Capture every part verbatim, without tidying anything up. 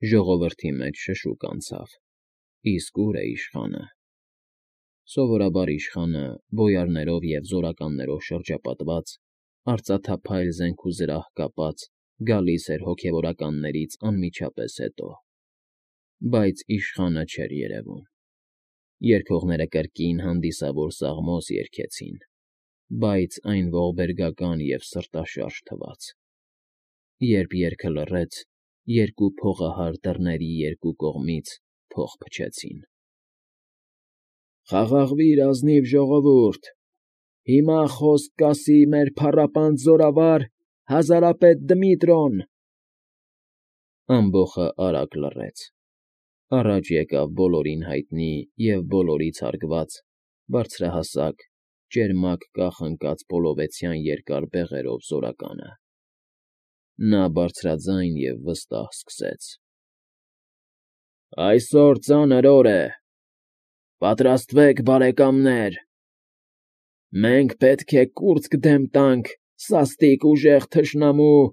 Ժողովրդի մեջ շշուկ անցավ. իսկ ո՞ւր է իշխանը։ Սովորաբար իշխանը, բոյարներով և զորականներով շրջապատված, արծաթափայլ զենք ու զրահ կապած, գալիս էր հոգևորականներից անմիջապես հետո, բայց իշխանը չէր երևում։ Երգողները կրկին հանդիսավոր սաղմոս երգեցին, բայց այն ողբերգական և սրտաշարժ թվաց։ Երբ երգը լռեց, երկու փողահար դռների երկու կողմից փող փչեցին։ «Խաղաղվի՛ր, ազնիվ ժողովուրդ, հիմա խոսք կասի մեր փառապանծ զորավար հազարապետ Դմիտրոն…» Ամբոխը արագ լռեց։ Առաջ եկավ բոլորին հայտնի և բոլորից հարգված, բարձրահասակ, ճերմակ կախ ընկած պոլովեցյան երկար բեղերով զորականը։ Նա բարձրաձայն և վստահ սկսեց. «Այսօր ծանր օր է, պատրաստվեք, բարեկամներ… Մենք պետք է կուրծք դեմ տանք սաստիկ ուժեղ թշնամու…»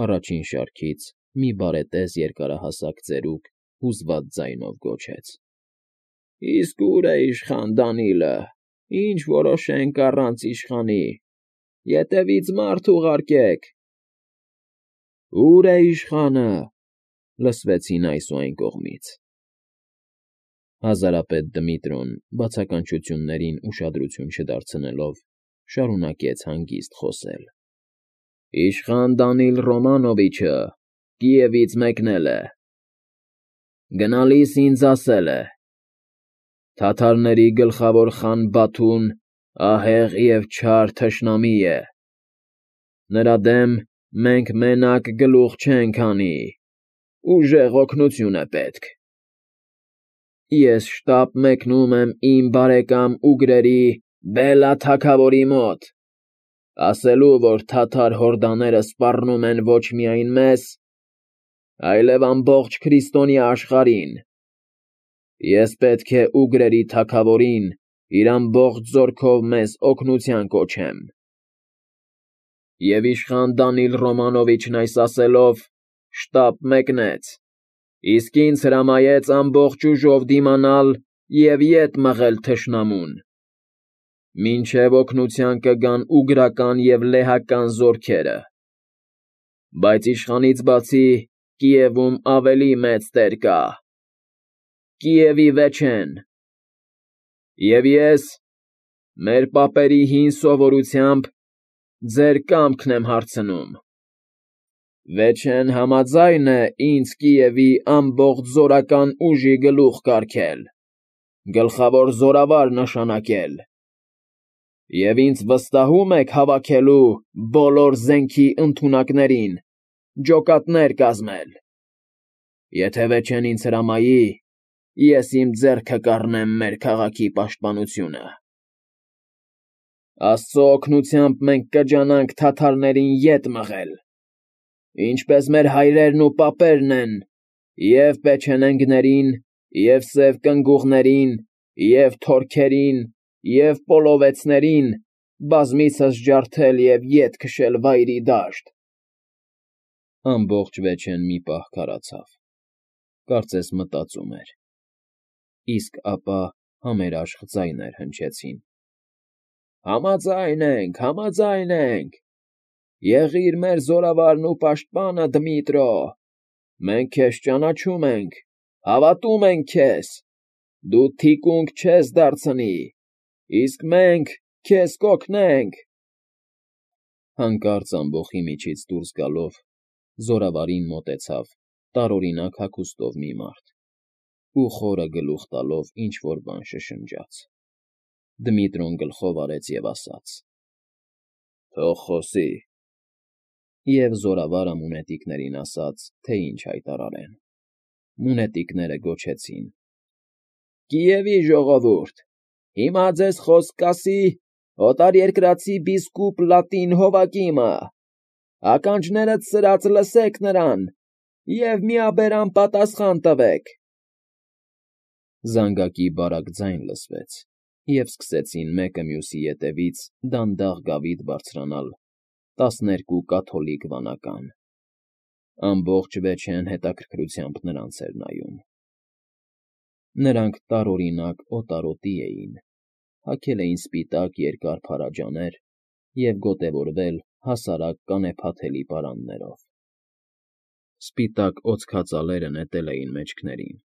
Առաջին շարքից մի բարետես երկարահասակ ծերուկ հուզված ձայնով գոչեց. «Իսկ ո՞ւր է իշխան Դանիլը, ինչ որոշենք առանց իշխանի… Ետևից մարդ ուղարկեք…»։ «Ո՞ւր է իշխանը…» լսվեցին այս ու այն կողմից։ Հազարապետ Դմիտրոն, բացականչություններին ուշադրություն չդարձնելով, շարունակեց հանգիստ խոսել. «Իշխան Դանիլ Ռոմանովիչը Կիևից մեկնել է… Գնալիս ինձ ասել է. «Թաթարների գլխավոր խան Բաթուն ահեղ և չար թշնամի է… Նրա դեմ մենք մենակ գլուխ չենք հանի, ուժեղ օգնություն է պետք… Ես շտապ մեկնում եմ իմ բարեկամ ուգրերի Բելլա թագավորի մոտ, ասելու, որ թաթար հորդաները սպառնում են ոչ միայն մեզ, այլև ամբողջ քրիստոնյա աշխարհին… Ես պետք է ուգրերի թագավորին իր ամբողջ զորքով մեզ օգնության կոչեմ…»։ Եվ իշխան Դանիլ Ռոմանովիչն այս ասելով, շտապ մեկնեց, իսկ ինձ հրամայեց ամբողջ ուժով դիմանալ և ետ մղել թշնամուն, մինչև օգնության կգան ուգրական և լեհական զորքերը… Բայց իշխանից բացի Կիևում ավելի մեծ տեր կա… Կիևի վեճեն… Եվ ես, մեր պապերի հին սովորությամբ, ձեր կամքն եմ հարցնում. վեճեն համաձա՞յն է ինձ Կիևի ամբողջ զորական ուժի գլուխ կարգել, գլխավոր զորավար նշանակել… Եվ ինձ վստահո՞ւմ եք հավաքելու բոլոր զենքի ընդունակներին, ջոկատներ կազմել… Եթե վեճեն ինձ հրամայի, ես իմ ձեռքը կառնեմ մեր քաղաքի պաշտպանությունը… Աստծո օգնությամբ մենք կջանանք թաթարներին ետ մղել, ինչպես մեր հայրերն ու պապերն են և՛ պեչենեգներին, և՛ սև կնգուղներին, և՛ թորքերին, և՛ պոլովեցներին բազմիցս ջարդել և ետ քշել վայրի դաշտ… Ամբողջ վեճեն մի պահ քարացավ, կարծես մտածում էր, իսկ ապա համերաշխ ձայներ հնչեցին. «Համաձայն ենք, համաձայն ենք… Եղիր մեր զորավարն ու պաշտպանը, Դմիտրո… Մենք քեզ ճանաչում ենք, հավատում ենք քեզ… Դու թիկունք չես դարձնի, իսկ մենք քեզ կօգնենք…»։ Հանկարծ ամբոխի միջից դուրս գալով, զորավարին մոտեցավ տարօրինակ հագուստով մի մարդ ու խորը գլուխ տալով ինչ֊որ բան շշնջաց։ Դմիտրոն գլխով արեց և ասաց. «Թող խոսի…» Եվ զորավարը մունետիկներին ասաց, թե ինչ հայտարարեն։ Մունետիկները գոչեցին. «Կիևի ժողովուրդ, հիմա ձեզ խոսք կասի օտարերկրացի բիսկուպ Լատին Հովակիմը… Ականջներդ սրած լսեք նրան և միաբերան պատասխան տվեք…»։ Զանգակի բարակ ձայն լսվեց, և սկսեցին մեկը մյուսի ետևից դանդաղ գավիթ բարձրանալ տասներկու կաթոլիկ վանական։ Ամբողջ վեճեն հետաքրքրությամբ նրանց էր նայում։ Նրանք տարօրինակ օտարոտի էին, հագել էին սպիտակ երկար փարաջաներ և գոտևորվել հասարակ կանեփաթելի պարաններով։ Սպիտակ օձքածալերը նետել էին մեջքներին,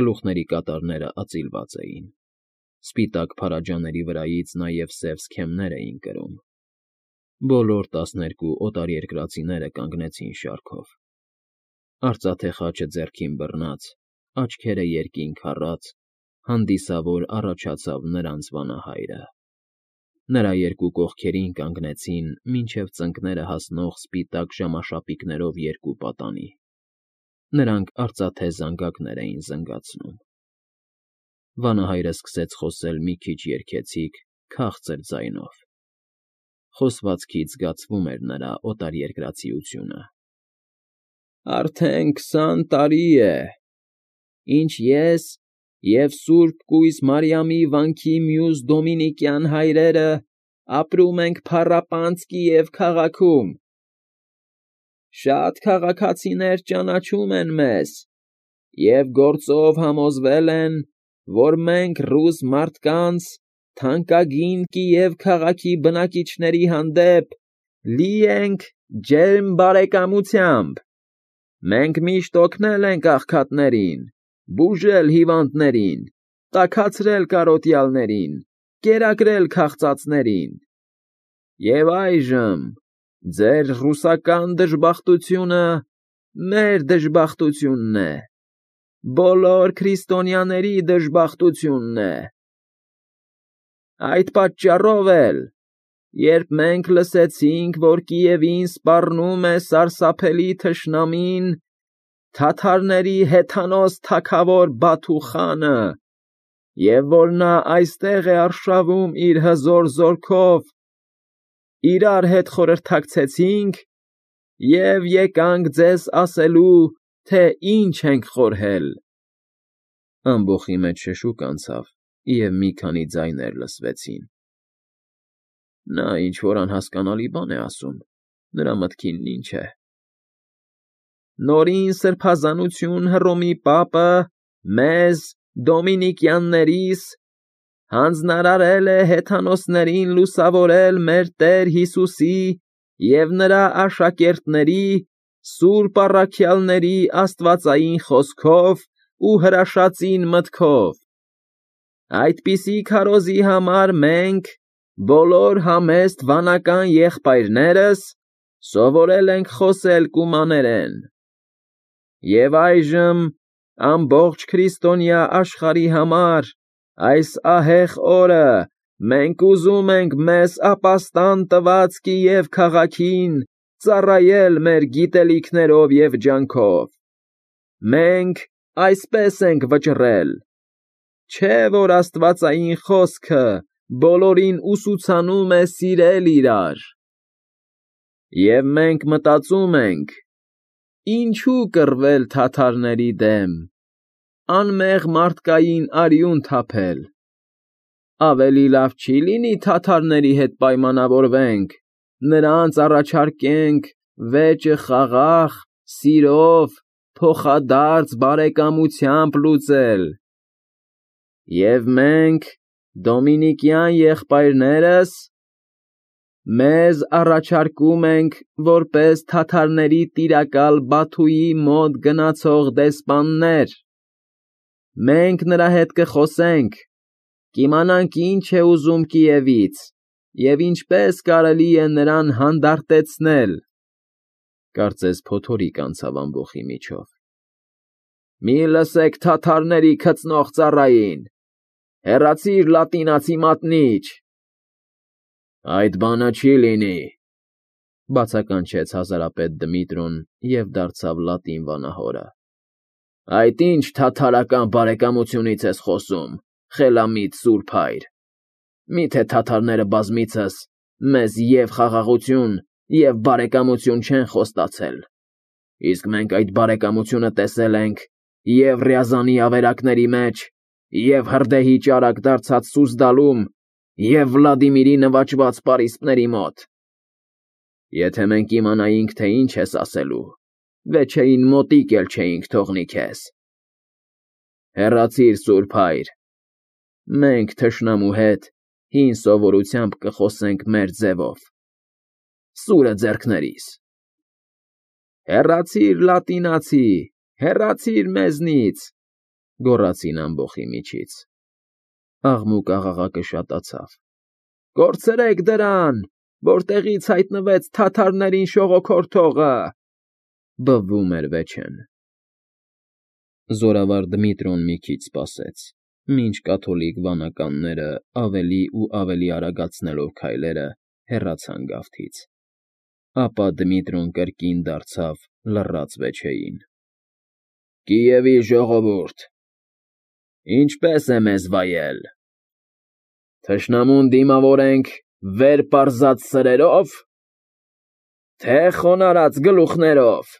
գլուխների կատարները ածիլված էին, սպիտակ փարաջաների վրայից նաև սև սքեմներ էին կրում։ Բոլոր տասներկու օտարերկրացիները կանգնեցին շարքով։ Արծաթե խաչը ձեռքին բռնած, աչքերը երկինք առած, հանդիսավոր առաջացավ նրանց վանահայրը։ Նրա երկու կողքերին կանգնեցին մինչև ծնկները հասնող սպիտակ ժամաշապիկներով երկու պատանի։ Նրանք արծաթե զանգակներ էին զնգացնում։ Վանահայրը սկսեց խոսել մի քիչ երգեցիկ, քաղցր ձայնով։ Խոսվածքից զգացվում էր նրա օտարերկրացիությունը։ Արդեն քսան տարի է, ինչ ես և Սուրբ Կույս Մարիամի վանքի մյուս դոմինիկյան հայրերը ապրում ենք Փառապանցկիև քաղաքում։ Շատ քաղաքացիներ ճանաչում են մեզ և գործով համոզվել են, որ մենք ռուս մարդկանց, թանկագին Կիև քաղաքի բնակիչների հանդեպ լի ենք ջերմ բարեկամությամբ։ Մենք միշտ օգնել ենք աղքատներին, բուժել հիվանդներին, տաքացրել կարոտյալներին, կերակրել քաղցածներին։ Եվ այժմ ձեր ռուսական դժբախտությունը մեր դժբախտությունն է, բոլոր քրիստոնյաների դժբախտությունն է։ Այդ պատճառով էլ, երբ մենք լսեցինք, որ Կիևին սպառնում է սարսափելի թշնամին, թաթարների հեթանոս թագավոր Բաթու խանը, և որ նա այստեղ է արշավում իր հզոր զորքով, իրար հետ խորհրդակցեցինք և եկանք ձեզ ասելու, թե ինչ ենք խորհել։ Ամբոխի մեջ շշուկ անցավ, և մի քանի ձայներ լսվեցին։ Նա ինչ֊որ անհասկանալի բան է ասում, նրա մտքինն ինչ է։ Նորին սրբազանություն Հռոմի պապը մեզ, դոմինիկյաններիս, հանձնարարել է հեթանոսներին լուսավորել մեր Տեր Հիսուսի և նրա աշակերտների, սուրբ առաքյալների աստվածային խոսքով ու հրաշածին մտքով։ Այդպիսի քարոզի համար մենք, բոլոր համեստ վանական եղբայրներս, սովորել ենք խոսել կումաներեն։ Եվ այժմ, ամբողջ քրիստոնյա աշխարհի համար, այս ահեղ օրը մենք ուզում ենք մեզ ապաստան տված Կիև քաղաքին ծառայել մեր գիտելիքներով և ջանքով։ Մենք այսպես ենք վճռել. չէ՞ որ աստվածային խոսքը բոլորին ուսուցանում է սիրել իրար։ Եվ մենք մտածում ենք. ինչո՞ւ կռվել թաթարների դեմ, անմեղ մարդկային արյուն թափել։ Ավելի լավ չի՞ լինի թաթարների հետ պայմանավորվենք, նրանց առաջարկենք վեճը խաղաղ, սիրով, փոխադարձ բարեկամությամբ լուծել։ Եվ մենք, դոմինիկյան եղբայրներս, մեզ առաջարկում ենք որպես թաթարների տիրակալ Բաթուի մոտ գնացող դեսպաններ։ Մենք նրա հետ կխոսենք, կիմանանք ինչ է ուզում Կիևից և ինչպես կարելի է նրան հանդարտեցնել։ Կարծես փոթորիկ անցավ ամբոխի միջով։ Մի լսեք թաթարների քծնող ծառային, հեռացիր լատինացի մատնիչ։ Այդ բանը չի լինի, բացականչեց հազարապետ Դմիտրոն և դարձավ լատին վանահորը։ Այդ ի՞նչ թաթարական բարեկամությունից ես խոսում, խելամիտ սուրբ հայր։ Մի՞թե թաթարները բազմիցս մեզ և խաղաղություն, և բարեկամություն չեն խոստացել։ Իսկ մենք այդ բարեկամությունը տեսել ենք և՛ Ռյազանի ավերակների մեջ, և՛ հրդեհի ճարակ դարձած Սուզդալում, և Վլադիմիրի նվաճված պարիսպների մոտ։ Եթե մենք իմանայինք, թե ինչ ես ասելու, վեչեին մոտիկ էլ չէինք թողնի քեզ։ Հեռացիր, Սուրբ Հայր, մենք թշնամու հետ հին սովորությամբ կխոսենք մեր ձևով, սուրը ձեռքներիս։ Հեռացիր, լատինացի, հեռացիր մեզնից, գոռացին ամբոխի միջից։ Աղմուկ աղաղակը շատացավ։ Կորցրեք դրան, որտեղից հայտնվեց թաթարներին շողոքորթողը, բվում էր վեչեն։ Զորավար Դմիտրոն մի քիչ սպասեց, մինչ կաթոլիկ վանականները ավելի ու ավելի արագացնելով քայլերը հեռացան գավթից։ Ապա Դմիտրոն կրկին դարձավ լռած վեչեին. Կիևի ժողովուրդ, ինչպե՞ս է մեզ վայել։ Թշնամուն դիմավորենք վեր պարզած սրերով, թե խոնարհած գլուխներով։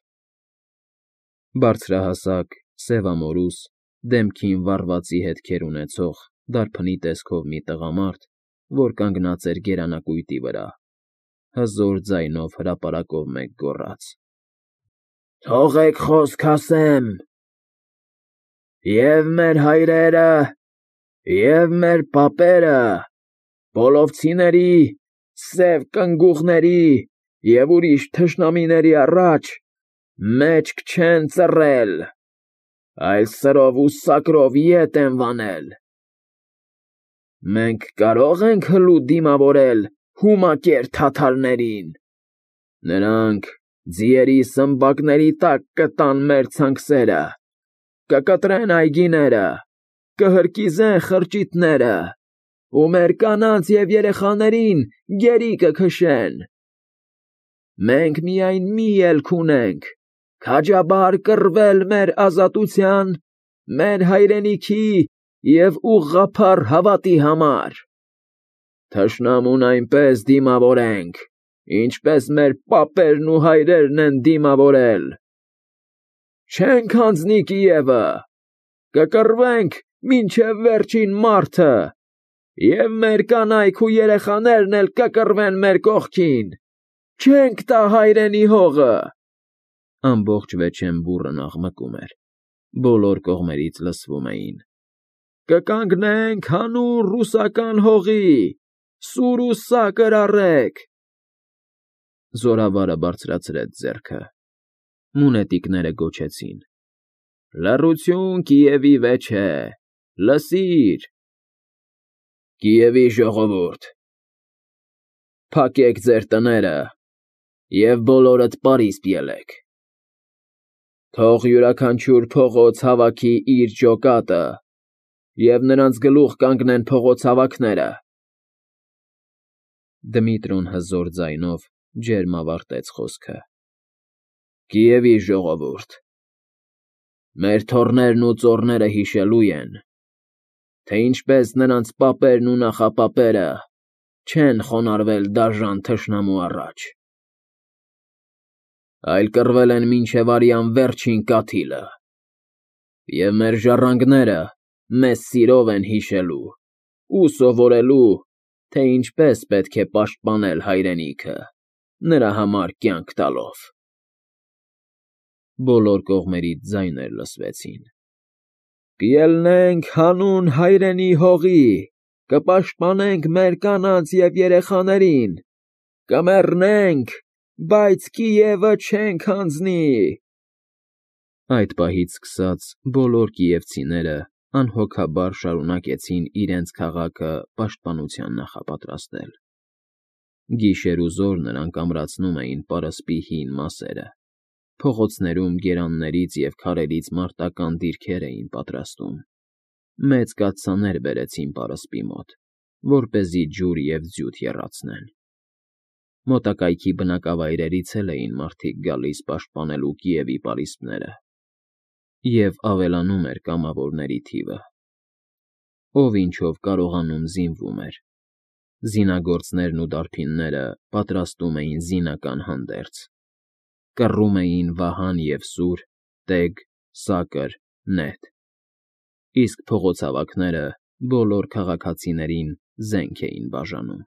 Բարձրահասակ, սևամորուս, դեմքին վառվածի հետքեր ունեցող դարբնի տեսքով մի տղամարդ, որ կանգնած էր գերանակույտի վրա, հզոր ձայնով հրապարակով մեկ գոռաց. Թողեք խոսք ասեմ, և մեր հայրերը, և մեր պապերը, բոլովցիների, սև կնգուղների և ուրիշ թշնամիների առաջ մեջք չեն ծռել, այլ սրով ու սակրով ետ են վանել։ Մենք կարո՞ղ ենք հլու դիմավորել հումակեր թաթարներին։ Նրանք ձիերի սմբակների տակ կտան մեր ցանքսերը, կկտրեն այգիները, կհրկիզեն խրճիթները ու մեր կանանց և երեխաներին գերի կքշեն։ Մենք միայն մի ելք ունենք, քաջաբար կռվել մեր ազատության, մեր հայրենիքի և ուղղափառ հավատի համար։ Թշնամուն այնպես դիմավորենք, ինչպես մեր պապերն ու հայրերն են դիմավորել։ Չենք հանձնի Կիևը, կկռվենք մինչև վերջին մարդը, և մեր կանայք ու երեխաներն էլ կկռվեն մեր կողքին, չենք տա հայրենի հողը։ Ամբողջ վեչեն բուռն աղմկում էր, բոլոր կողմերից լսվում էին. Կկանգնենք հանուն ռուսական հողի, սուր ու սակր առեք։ Զորավարը բարձրացրեց ձեռքը, մունետիկները գոչեցին. Լռություն Կիևի վեչե, լսիր։ Կիևի ժողովուրդ, փակեք ձեր տները և բոլորդ պարիսպ ելեք։ Թող յուրաքանչյուր փողոց հավաքի իր ջոկատը և նրանց գլուխ կանգնեն փողոցավաքները։ Դմիտրոն հզոր ձայնով ջերմ ավարտեց խոսքը. Կիևի ժողովուրդ, մեր թոռներն ու ծոռները հիշելու են, թե ինչպես նրանց պապերն ու նախապապերը չեն խոնարհվել դաժան թշնամու առաջ, այլ կռվել են մինչև արյան վերջին կաթիլը, և մեր ժառանգները մեզ սիրով են հիշելու ու սովորելու, թե ինչպես պետք է պաշտպանել հայրենիքը, նրա համար կյանք տալով։ Բոլոր կողմերից ձայներ լսվեցին. Կելնենք հանուն հայրենի հողի, կպաշտպանենք մեր կանանց և երեխաներին, կմեռնենք, բայց Կիևը չենք հանձնի։ Այդ պահից սկսած բոլոր կիևցիները անհոգաբար շարունակեցին իրենց քաղաքը պաշտպանության նախապատրաստել։ Գիշեր ու զօր նրանք ամրացնում էին պարսպի հին մասերը, փողոցներում գերաններից և քարերից մարտական դիրքեր էին պատրաստում, մեծ կաթսաներ բերեցին պարսպի մոտ, որպեսզի ջուր և ձյութ եռացնեն։ Մոտակայքի բնակավայրերից էլ էին մարդիկ գալիս պաշտպանելու Կիևի պարիսպները, և ավելանում էր կամավորների թիվը։ Ով ինչով կարողանում զինվում էր։ Զինագործներն ու դարբինները պատրաստում էին զինական հանդերձ, կռում էին վահան և սուր, տեգ, սակր, նետ, իսկ փողոցավաքները բոլոր քաղաքացիներին զենք էին բաժանում։